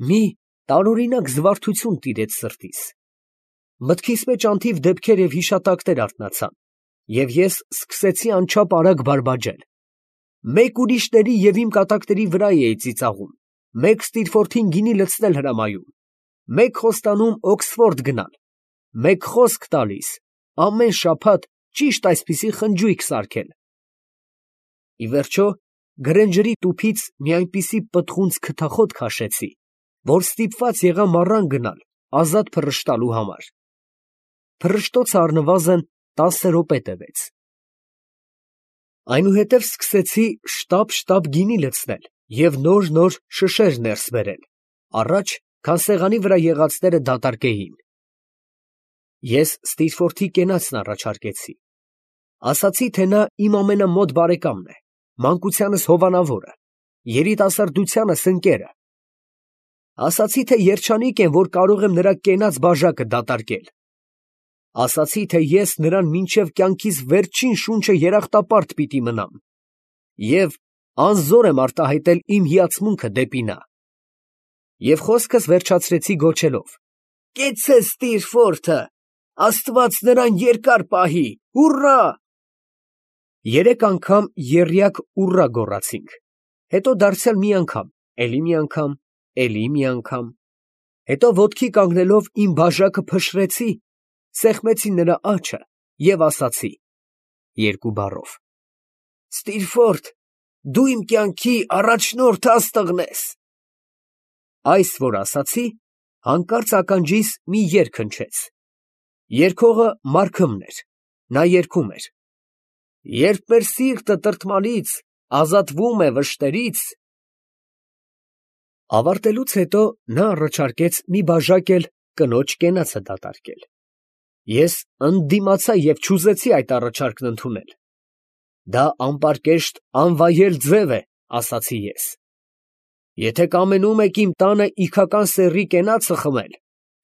Մի տարօրինակ զվարթություն տիրեց սրտիս։ Մտքիս մեջ անթիվ դեպքեր և հիշատակներ արթնացան, և ես սկսեցի անչափ արագ բարբաջել։ Մեկ ուրիշների և իմ կատակների վրա էի ծիծաղում, մեկ Ստիրֆորթին գինի լցնել հրամայում, մեկ խոստանում Օքսֆորդ գնալ, մեկ խոսք տալիս ամեն շաբաթ ճիշտ այսպիսի խնջույք սարքել։ Ի վերջո, Գրենջերի տուփից մի այնպիսի պտղունց քթախոտ քաշեցի, որ ստիպված եղա մառան գնալ ազատ փռշտալու համար։ Փռշտոցը առնվազն 10 րոպե տևեց։ Այնուհետև սկսեցի շտապ գինի լցնել և նոր շշեր ներս բերել, առաջ, քան սեղանի վրա եղածները դատարկեին։ Ես Ստիրֆորթի կենացն առաջարկեցի։ Ասացի, թե նա իմ ամենամոտ բարեկամն է, մանկությանս հովանավորը, երիտասարդությանս ընկերը։ Ասացի, թե երջանիկ եմ, որ կարող եմ նրա կենաց բաժակը դատարկել։ Ասացի, թե ես նրան մինչև կյանքիս վերջին շունչը երախտապարտ պիտի մնամ և անզոր եմ արտահայտել իմ հիացմունքը դեպի նա։ Եվ խոսքս վերջացրեցի գոչելով. «Կեցցե Ստիրֆորթը, Աստված նրան երկար պահի, հուռա»։ 3 անգամ եռյակ ուռա գոռացինք, հետո դարձյալ մի անգամ, էլի մի անգամ, էլի մի անգամ, հետո ոտքի կանգնելով իմ բաժակը փշրեցի, սեղմեցի նրա աջը և ասացի 2 բառով. «Ստիրֆորթ, դու իմ կյանքի առաջնորդ աստղն ես»։ Այս որ ասացի, հանկարծ ականջիս մի երգ հնչեց։ Երգողը Մարքըմն էր, նա երգում էր. «Երբ մեր սիրտը տրտմալից ազատվում է վշտերից»։ Ավարտելուց հետո նա առաջարկեց մի բաժակ էլ կնոջ կենացը դատարկել։ Ես ընդդիմացա և չուզեցի այդ առաջարկն ընդունել։ «Դա անպարկեշտ անվայել ձև է», ասացի ես։ «Եթե կամենում եք իմ տանը իգական սեռի կենացը խմել,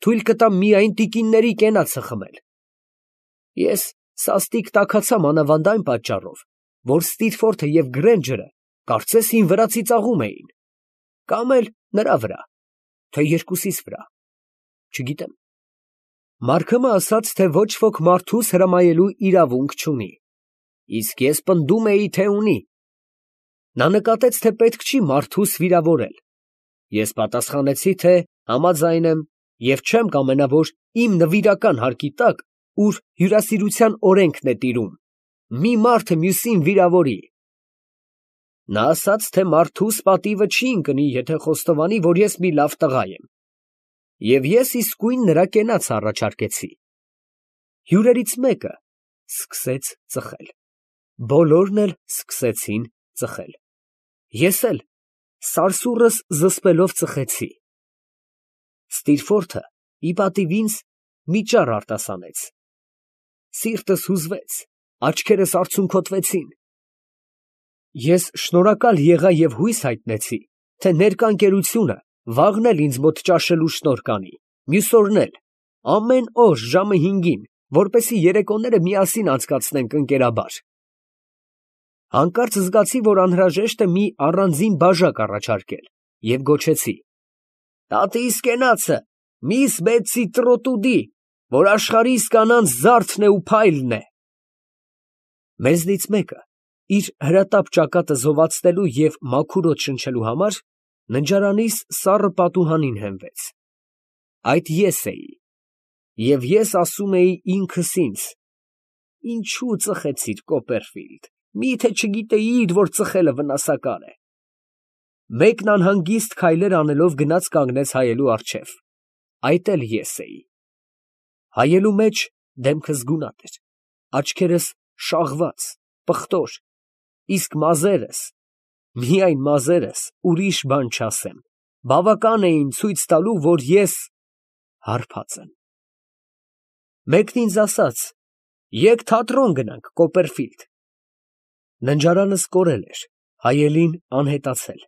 թույլ կտամ միայն տիկինների կենացը խմել»։ Ես սաստիկ տաքացա մանավանդ այն պատճառով, որ Ստիրֆորթը և Գրենջերը կարծես իմ վրա ծիծաղում էին, կամ էլ նրա վրա, թե երկուսիս վրա, չգիտեմ։ Մարքըմը ասաց, թե ոչ ոք մարդուս հրամայելու իրավունք չունի, իսկ ես պնդում էի, թե ունի։ Նա նկատեց, թե պետք չի մարդուս վիրավորել։ Ես պատասխանեցի, թե համաձայն եմ և չեմ կամենա, որ իմ նվիրական հարկի տակ, ուր հյուրասիրության օրենքն է տիրում, մի մարդը մյուսին վիրավորի։ Նա ասաց, թե մարդուս պատիվը չի ընկնի, եթե խոստովանի, որ ես մի լավ տղա եմ, և ես իսկույն նրա կենացը առաջարկեցի։ Հյուրերից մեկը սկսեց ծխել, բոլորն էլ սկսեցին ծխել, ես էլ սարսուռս զսպելով ծխեցի։ Ստիրֆորթը ի պատիվ ինձ մի ճառ արտասանեց։ Սիրտս հուզվեց, աչքերս արցունքոտվեցին։ Ես շնորհակալ եղա և հույս հայտնեցի, թե ներկա ընկերությունը վաղն էլ ինձ մոտ ճաշելու շնորհ կանի, մյուս օրն էլ, ամեն օր ժամը 5-ին, որպեսզի երեկոները միասին անցկացնենք ընկերաբար։ Հանկարծ զգացի, որ անհրաժեշտ է մի առանձին բաժակ առաջարկել և գոչեցի. «Տատիս կենացը, միս Բեթսի Տրոտուդի, որ աշխարհիս կանանց զարդն է ու փայլն է»։ Մեզնից մեկը, իր հրատապ ճակատը զովացնելու և մաքուր օդ շնչելու համար, ննջարանիս սառը պատուհանին հենվեց։ Այդ ես էի, և ես ասում էի ինքս ինձ. «Ինչո՞ւ ծխեցիր, Կոպերֆիլդ, մի՞թե չգիտեիր, որ ծխելը վնասակար է»։ Մեկն անհանգիստ քայլեր անելով գնաց կանգնեց հայելու առջև։ Այդ էլ ես էի։ Հայելու մեջ դեմքս գունատ էր, աչքերս շաղված, պղտոր, իսկ մազերս, միայն մազերս, ուրիշ բան չասեմ, բավական էին ցույց տալու, որ ես հարբած եմ։ Մեկն ինձ ասաց. «Եկ թատրոն գնանք, Կոպերֆիլդ»։ Ննջարանս կորել էր, հայելին անհետացել։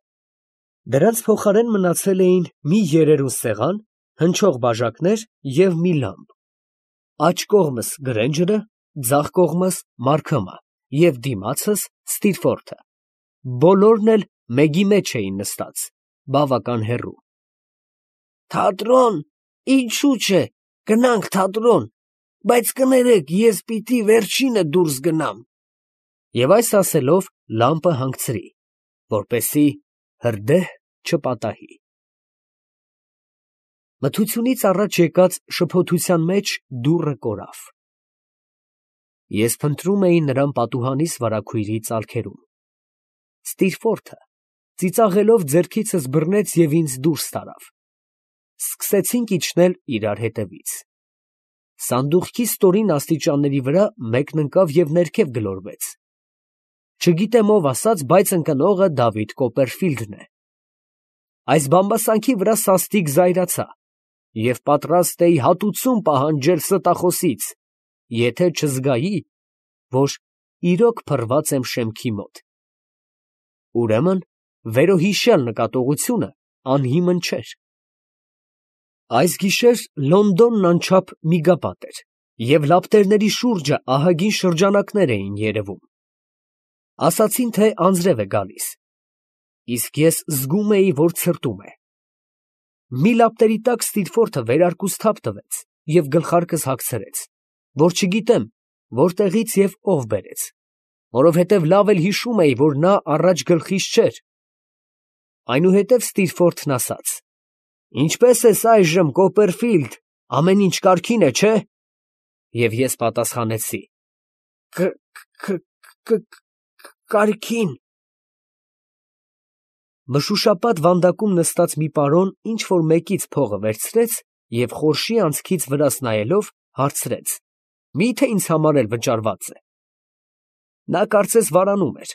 Դրանց փոխարեն մնացել էին մի երերուն սեղան, հնչող բաժակներ և մի լամպ։ Աջ կողմս Գրենջերը, ձախ կողմս Մարքըմը և դիմացս Ստիրֆորթը, բոլորն էլ մեգի մեջ էին նստած, բավական հեռու։ Թատրոն, ինչու՞ չէ, գնանք թատրոն, բայց կներեք, ես պիտի վերջինը դուրս գնամ։ Եվ այս ասելով լամպը հանգցրի, որպեսզի հրդեհ չպատահի։ Մթությունից առաջ եկած շփոթության մեջ դուռը կորավ։ Ես փնտրում էի նրան պատուհանիս վարագույրի ծալքերում։ Ստիրֆորթը ծիծաղելով ձեռքիցս բռնեց և ինձ դուրս տարավ։ Սկսեցինք իջնել իրար հետևից։ Սանդուղքի ստորին աստիճանների վրա մեկն ընկավ և ներքև գլորվեց։ Չգիտեմ ով ասաց, բայց ընկնողը Դավիթ Կոպերֆիլդն է։ Այս բամբասանքի վրա սաստիկ զայրացա և պատրաստ էի հատուցում պահանջել ստախոսից, եթե չզգայի, որ իրոք փռված եմ շեմքի մոտ։ Ուրեմն վերոհիշյալ նկատողությունը անհիմն չէր։ Այս գիշեր Լոնդոնն անչափ միգապատ էր, և լապտերների շուրջը ահագին շրջանակներ էին երևում։ Ասացին, թե անձրև է գալիս, իսկ ես զգում էի, որ ցրտում է։ Մի լապտերի տակ Ստիրֆորթը վերարկուս թափ տվեց և գլխարկս հագցրեց, որ չգիտեմ որտեղից և ով բերեց, որովհետև լավ էլ հիշում էի, որ նա առաջ գլխիս չէր։ Այնուհետև Ստիրֆորթն ասաց. «Ինչպե՞ս ես այժմ, Կոպերֆիլդ, ամեն ինչ կարգին է, չէ՞։ Եվ ես պատասխանեցի. Կարգին։ Մշուշապատ վանդակում նստած մի պարոն ինչ֊որ մեկից փողը վերցրեց և խորշի անցքից վրաս նայելով հարցրեց. «Մի՞թե ինձ համար էլ վճարված է»։ Նա կարծես վարանում էր։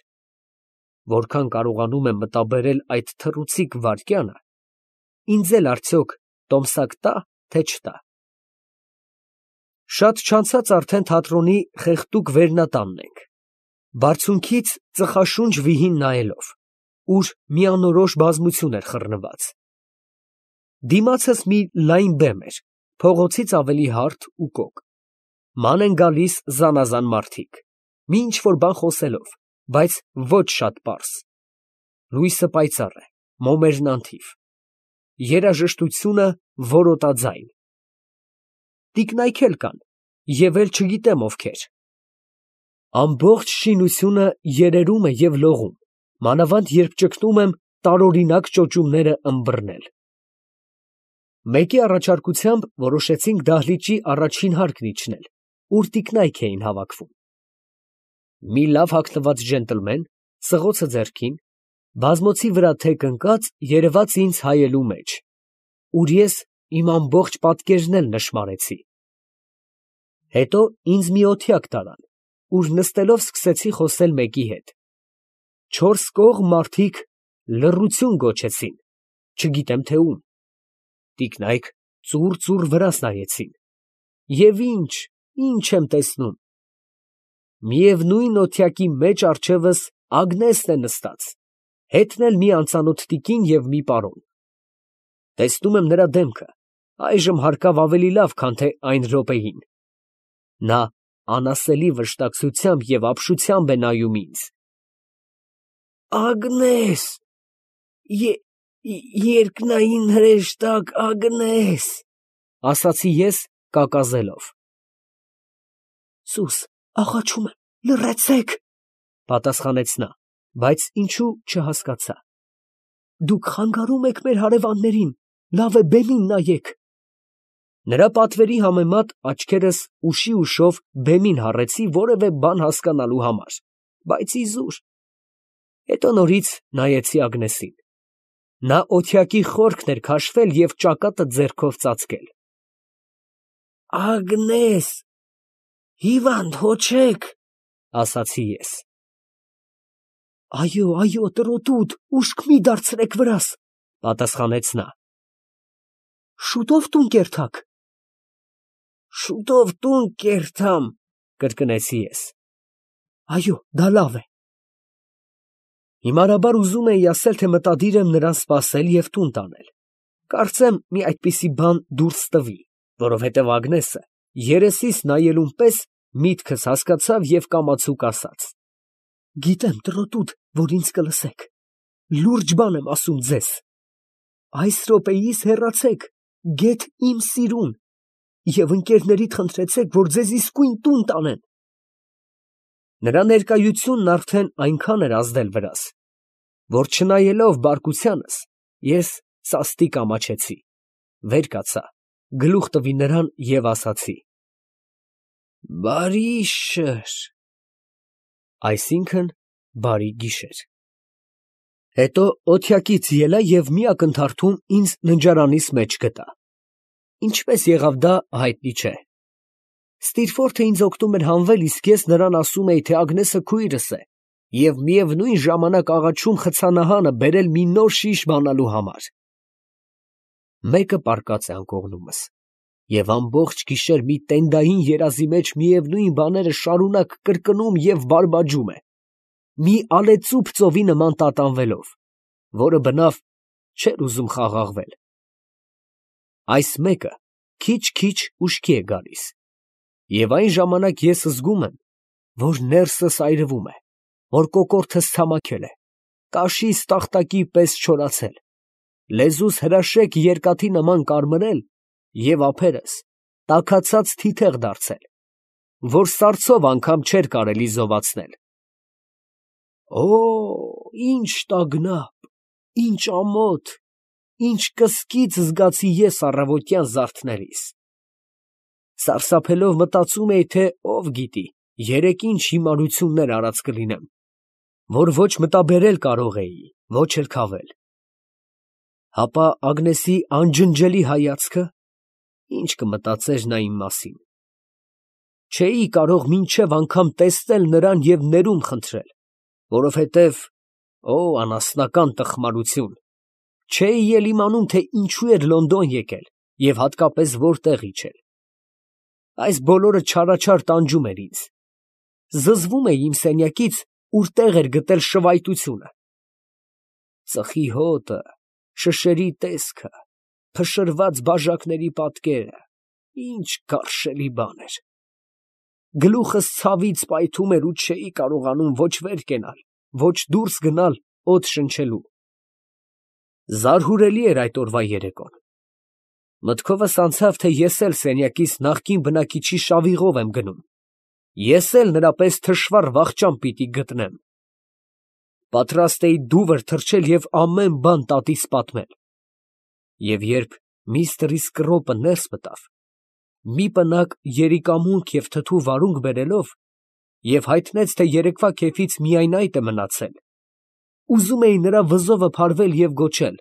Որքան կարողանում եմ մտաբերել այդ թռուցիկ վայրկյանը, ինձ էլ արդյոք տոմսակ տա, թե չտա։ Շատ չանցած արդեն թատրոնի խեղդուկ վերնատանն ենք, բարձունքից ծխաշունչ վիհին նայելով, ուր մի անորոշ բազմություն էր խռնված։ Դիմացս մի լայն բեմ էր, փողոցից ավելի հարթ ու կոկ։ Ման են գալիս զանազան մարդիկ, մի ինչ֊որ բան խոսելով, բայց ոչ շատ պարզ։ Լույսը պայծառ է, մոմերն անթիվ, երաժշտությունը որոտաձայն։ Տիկնայք էլ կան, և էլ չգիտեմ ովքեր։ Ամբողջ շինությունը երերում է և լողում, մանավանդ երբ ճգնում եմ տարօրինակ ճոճումները ըմբռնել։ Մեկի առաջարկությամբ որոշեցինք դահլիճի առաջին հարկն իջնել, ուր տիկնայք էին հավաքվում։ Մի լավ հագնված ջենտլմեն, սղոցը ձեռքին, բազմոցի վրա թեք ընկած, երևաց ինձ հայելու մեջ, ուր ես իմ ամբողջ պատկերն էլ նշմարեցի։ Հետո ինձ մի օթյակ տարան, ուր նստելով սկսեցի խոսել մեկի հետ։ Չորս կողմ մարդիկ լռություն գոչեցին, չգիտեմ թե ում։ Տիկնայք ծուռ վրաս նայեցին։ Եվ ինչ եմ տեսնում։ Միևնույն օթյակի մեջ առջևս Ագնեսն է նստած, հետն էլ մի անծանոթ տիկին և մի պարոն։ Տեսնում եմ նրա դեմքը, այժմ հարկավ ավելի լավ, քան թե այն րոպեին։ Նա անասելի վշտակցությամբ և ապշությամբ է նայում ինձ։ Ագնես, երկնային հրեշտակ Ագնես, ասացի ես կակազելով։ Սուս, աղաչում եմ, լռեցեք, պատասխանեց նա, բայց ինչու չհասկացա։ Դուք խանգարում եք մեր հարևաններին, լավ է բեմին նայեք։ Նրա պատվերի համեմատ աչքերս ուշի ուշով բեմին հառեցի որևէ բան հասկանալու համար, բայց իզուր։ Հետո նորից նայեցի Ագնեսին։ Նա օթյակի խորքն էր քաշվել և ճակատը ձեռքով ծածկել։ Ագնես, հիվանդ հո չեք, ասացի ես։ Այո, տրոտուտ, ուշք մի դարձրեք վրաս, պատասխանեց նա։ Շուտով տուն կերթաք։ Շուտով տուն կերթամ, կրկնեցի ես։ Այո, դա լավ է։ Հիմարաբար ուզում էի ասել, թե մտադիր եմ նրան սպասել և տուն տանել։ Կարծեմ մի այդպիսի բան դուրս տվի, որովհետև Ագնեսը երեսիս նայելուն պես միտքս հասկացավ և կամացուկ ասաց. Գիտեմ, տրոտուտ, որ ինձ կլսեք։ Լուրջ բան եմ ասում ձեզ։ Այս րոպեիս հեռացեք, գեթ իմ սիրուն, և ընկերներիդ խնդրեցեք, որ ձեզ իսկույն տուն տանեն։ Նրա ներկայությունն արդեն այնքան էր ազդել վրաս, որ չնայելով բարկությանս, ես սաստիկ ամաչեցի, վեր կացա, գլուխ տվի նրան և ասացի. «Բարի շըր», այսինքն բարի գիշեր։ Հետո օթյակից ելա և մի ակնթարթում ինձ ննջարանիս մեջ գտա։ Ինչպես եղավ դա, հայտնի չէ։ Ստիրֆորթը ինձ օգնում էր հանվել, իսկ ես նրան ասում էի, թե Ագնեսը քույրս է, և միևնույն ժամանակ աղաչում խցանահանը բերել մի նոր շիշ բանալու համար։ Մեկը պառկած է անկողնումս, և ամբողջ գիշեր մի տենդային երազի մեջ միևնույն բաները շարունակ կրկնում և բարբաջում է, մի ալեծուփ ծովի նման տատանվելով, որը բնավ չէր ուզում խաղաղվել։ Այս մեկը քիչ-քիչ ուշքի է գալիս, և այն ժամանակ ես զգում եմ, որ ներսս այրվում է, որ կոկորդս ցամաքել է, կաշիս տախտակի պես չորացել, լեզուս հրաշեկ երկաթի նման կարմրել և ափերս տաքացած թիթեղ դարձել, որ սառցով անգամ չէր կարելի զովացնել։ Օ, ինչ տագնապ, ինչ ամոթ, ինչ կսկիծ զգացի ես առավոտյան զարթնելիս։ Սարսափելով մտածում էի, թե ով գիտի, երեկ ինչ հիմարություններ արած կլինեմ, որ ոչ մտաբերել կարող էի, ոչ էլ քավել։ Հապա Ագնեսի անջնջելի հայացքը, ինչ կմտածեր նա իմ մասին։ Չէի կարող մինչև անգամ տեսնել նրան և ներում խնդրել, որովհետև, օ, անասնական տխմարություն, չէի էլ իմանում, թե ինչու էր Լոնդոն եկել և հատկապես որտեղ իջել։ Այս բոլորը չարաչար տանջում էր ինձ։ Զզվում էի իմ սենյակից, ուր տեղ էր գտել շվայտությունը։ Ծխի հոտը, շշերի տեսքը, փշրված բաժակների պատկերը, ինչ գարշելի բան էր։ Գլուխս ցավից պայթում էր ու չէի կարողանում ոչ վեր կենալ, ոչ դուրս գնալ օդ շնչելու։ Զարհուրելի էր այդ օրվա երեկոն։ Մտքովս անցավ, թե ես էլ սենյակիս նախկին բնակիչի շավիղով եմ գնում, ես էլ նրա պես թշվառ վախճան պիտի գտնեմ։ Պատրաստ էի դուվր թռչել և ամեն բան տատիս պատմել։ Եվ երբ միստր Իսկրոպը ներս մտավ, մի պնակ երիկամունք և թթու վարունգ բերելով, և հայտնեց, թե երեկվա քեֆից միայն այդ է մնացել, ուզում էի նրա վզովը փարվել և գոչել.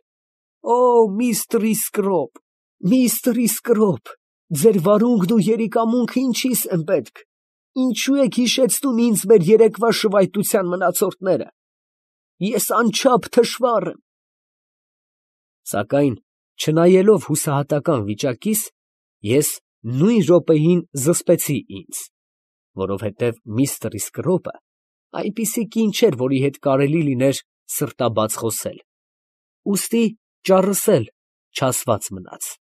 «Օ, միստր Իսկրոպ, միստր Իսկրոպ, ձեր վարունգն ու երիկամունքը ինչի՞ս են պետք, ինչու եք հիշեցնում ինձ մեր երեկվա շվայտության մնացորդները, ես անչափ թշվառ եմ»։ Սակայն չնայելով հուսահատական վիճակիս, ես նույն րոպեին զսպեցի ինձ, որովհետև միստր Իսկրոպը այնպիսի կին չէր, որի հետ կարելի լիներ սրտաբաց խոսել, ուստի ճառսել չասված մնաց։